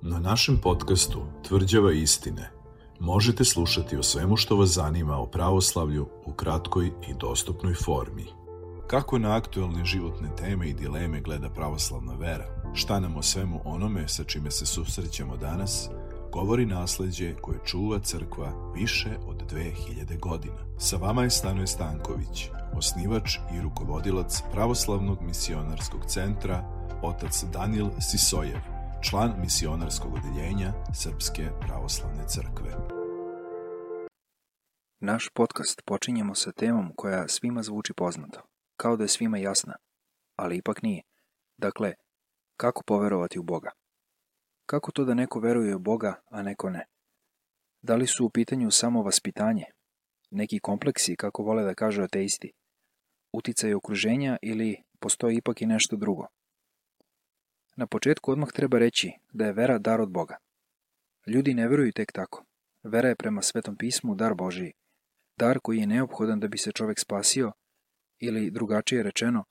Na našem podcastu Tvrđava istine možete slušati o svemu što vas zanima o pravoslavlju u kratkoj i dostupnoj formi. Kako na aktuelne životne teme i dileme gleda pravoslavna vera? Šta nam o svemu onome sa čime se susrećemo danas govori nasleđe koje čuva crkva više od 2000 godina. Sa vama je Stanoje Stanković, osnivač i rukovodilac Pravoslavnog misionarskog centra, otac Danijel Sisojev, član misionarskog odeljenja Srpske pravoslavne crkve. Naš podcast počinjemo sa temom koja svima zvuči poznato, kao da je svima jasna, ali ipak nije. Dakle, kako poverovati u Boga? Kako to da neko veruje u Boga, a neko ne? Da li su u pitanju samo vaspitanje, neki kompleksi, kako vole da kažu ateisti, uticaj okruženja ili postoji ipak i nešto drugo? Na početku odmah treba reći da je vera dar od Boga. Ljudi ne veruju tek tako. Vera je prema Svetom pismu dar Božiji, dar koji je neophodan da bi se čovek spasio, ili drugačije rečeno,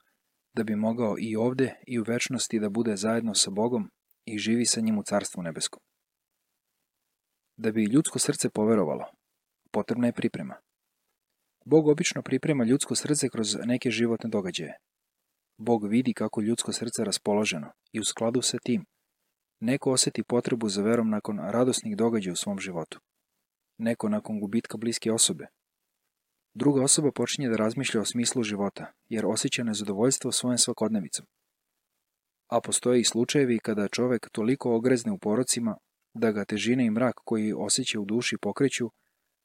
da bi mogao i ovde i u večnosti da bude zajedno sa Bogom i živi sa njim u Carstvu nebeskom. Da bi ljudsko srce poverovalo, potrebna je priprema. Bog obično priprema ljudsko srce kroz neke životne događaje. Bog vidi kako ljudsko srce raspoloženo i u skladu sa tim neko oseti potrebu za verom nakon radosnih događaja u svom životu. Neko nakon gubitka bliske osobe. Druga osoba počinje da razmišlja o smislu života, jer osjeća nezadovoljstvo svojom svakodnevicom. A postoje i slučajevi kada čovek toliko ogrezne u porocima da ga težina i mrak koji osjeća u duši pokreću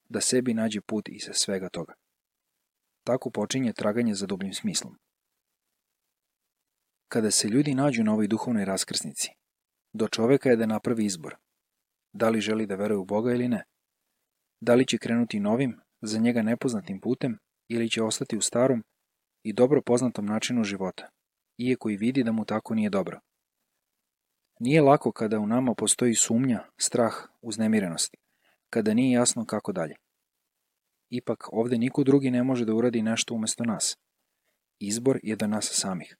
da sebi nađe put iz svega toga. Tako počinje traganje za dubljim smislom. Kada se ljudi nađu na ovoj duhovnoj raskrsnici, do čoveka je da napravi izbor. Da li želi da veruje u Boga ili ne? Da li će krenuti novim, za njega nepoznatim putem ili će ostati u starom i dobro poznatom načinu života, iako i vidi da mu tako nije dobro. Nije lako kada u nama postoji sumnja, strah, uznemirenost, kada nije jasno kako dalje. Ipak ovde niko drugi ne može da uradi nešto umesto nas. Izbor je do nas samih.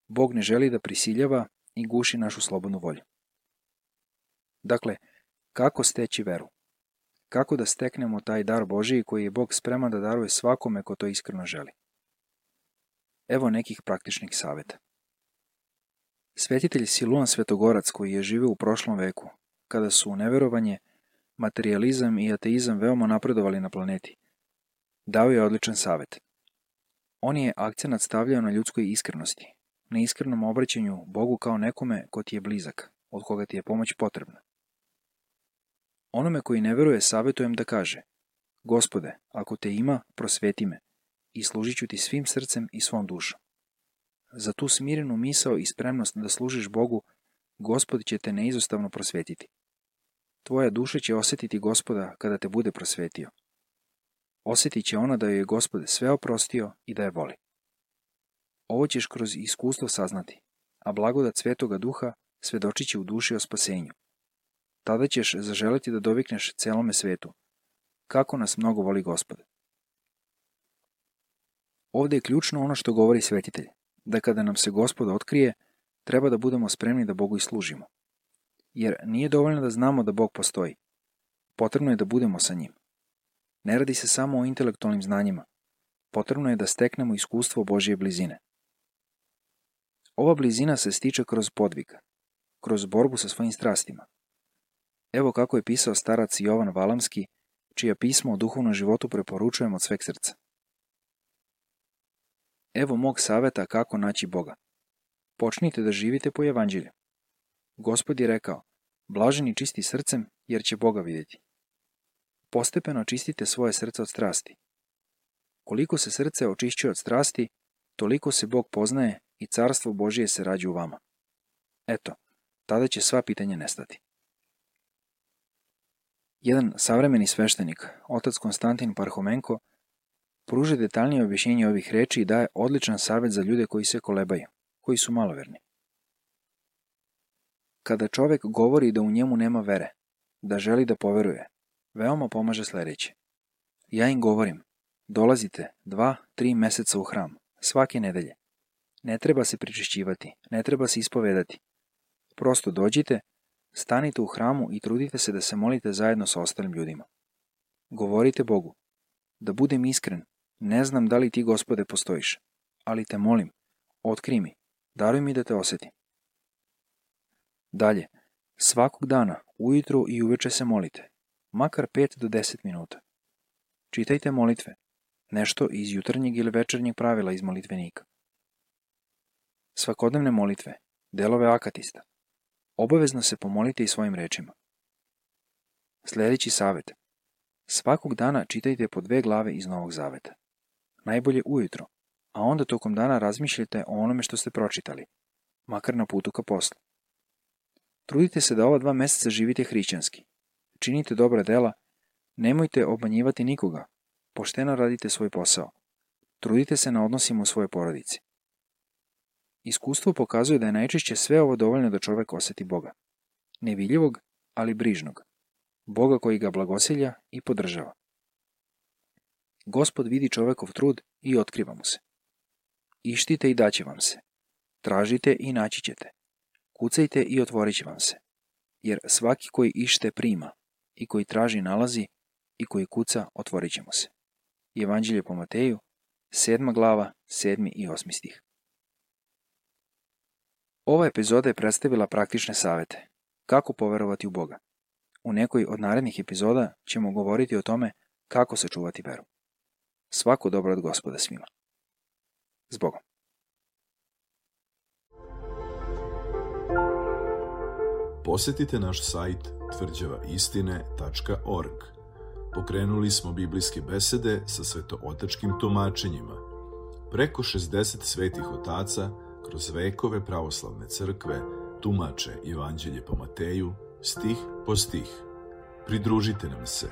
Bog ne želi da prisiljava i guši našu slobodnu volju. Dakle, kako steći veru? Kako da steknemo taj dar Božiji koji je Bog spreman da daruje svakome ko to iskreno želi? Evo nekih praktičnih saveta. Svetitelj Siluan Svetogorac, koji je živeo u prošlom veku, kada su neverovanje, materijalizam i ateizam veoma napredovali na planeti, dao je odličan savet. On je akcenat stavljao na ljudskoj iskrenosti, na iskrenom obraćanju Bogu kao nekome ko ti je blizak, od koga ti je pomoć potrebna. Onome koji ne veruje savetujem da kaže: Gospode, ako te ima, prosveti me i služit ću ti svim srcem i svom dušom. Za tu smirenu misao i spremnost da služiš Bogu, Gospod će te neizostavno prosvetiti. Tvoja duša će osjetiti Gospoda kada te bude prosvetio. Osjetit će ona da joj je Gospod sve oprostio i da je voli. Ovo ćeš kroz iskustvo saznati, a blagodat Svetoga Duha svedočit će u duši o spasenju. Tada ćeš zaželeti da dovikneš celome svetu. Kako nas mnogo voli Gospod. Ovde je ključno ono što govori svetitelj, da kada nam se Gospod otkrije, treba da budemo spremni da Bogu i služimo. Jer nije dovoljno da znamo da Bog postoji. Potrebno je da budemo sa njim. Ne radi se samo o intelektualnim znanjima. Potrebno je da steknemo iskustvo Božje blizine. Ova blizina se stiče kroz podvig, kroz borbu sa svojim strastima. Evo kako je pisao starac Jovan Valamski, čija pismo o duhovnom životu preporučujem od sveg srca. Evo mog saveta kako naći Boga. Počnite da živite po evanđelju. Gospod je rekao: blaženi čisti srcem, jer će Boga vidjeti. Postepeno čistite svoje srce od strasti. Koliko se srce očišćuje od strasti, toliko se Bog poznaje i carstvo Božije se rađa u vama. Eto, tada će sva pitanja nestati. Jedan savremeni sveštenik, otac Konstantin Parhomenko, pruža detaljnije objašnjenje ovih reči i daje odličan savjet za ljude koji se kolebaju, koji su maloverni. Kada čovek govori da u njemu nema vere, da želi da poveruje, veoma pomaže sledeće. Ja im govorim: dolazite 2-3 meseca u hram, svake nedelje. Ne treba se pričišćivati, ne treba se ispovedati. Prosto dođite, Stanite u hramu i trudite se da se molite zajedno sa ostalim ljudima. Govorite Bogu: da budem iskren, ne znam da li ti, Gospode, postojiš, ali te molim, otkrij mi, daruj mi da te osjetim. Dalje, svakog dana, ujutru i uveče se molite, makar 5 do 10 minuta. Čitajte molitve, nešto iz jutarnjeg ili večernjeg pravila iz molitvenika. Svakodnevne molitve, delove akatista. Obavezno se pomolite i svojim rečima. Sljedeći savjet. Svakog dana čitajte po 2 glave iz Novog Zaveta. Najbolje ujutro, a onda tokom dana razmišljajte o onome što ste pročitali, makar na putu ka poslu. Trudite se da ova 2 meseca živite hrišćanski. Činite dobra dela, nemojte obmanjivati nikoga, pošteno radite svoj posao. Trudite se na odnosima u svojoj porodici. Iskustvo pokazuje da je najčešće sve ovo dovoljno da čovek osjeti Boga. Nevidljivog, ali brižnog. Boga koji ga blagosilja i podržava. Gospod vidi čovekov trud i otkriva mu se. Ištite i daće vam se. Tražite i naći ćete. Kucajte i otvorit će vam se. Jer svaki koji ište prima, i koji traži nalazi, i koji kuca otvorit će mu se. Evanđelje po Mateju, 7. glava, 7. i 8. stih. Ova epizoda je predstavila praktične savete. Kako poverovati u Boga. U nekoj od narednih epizoda ćemo govoriti o tome kako sačuvati veru. Svako dobro od Gospoda svima. Zbogom. Posjetite naš sajt tvrđavaistine.org. Pokrenuli smo biblijske besede sa svetootačkim tumačenjima. Preko 60 svetih otaca kroz vekove pravoslavne crkve tumače Evanđelje po Mateju, stih po stih. Pridružite nam se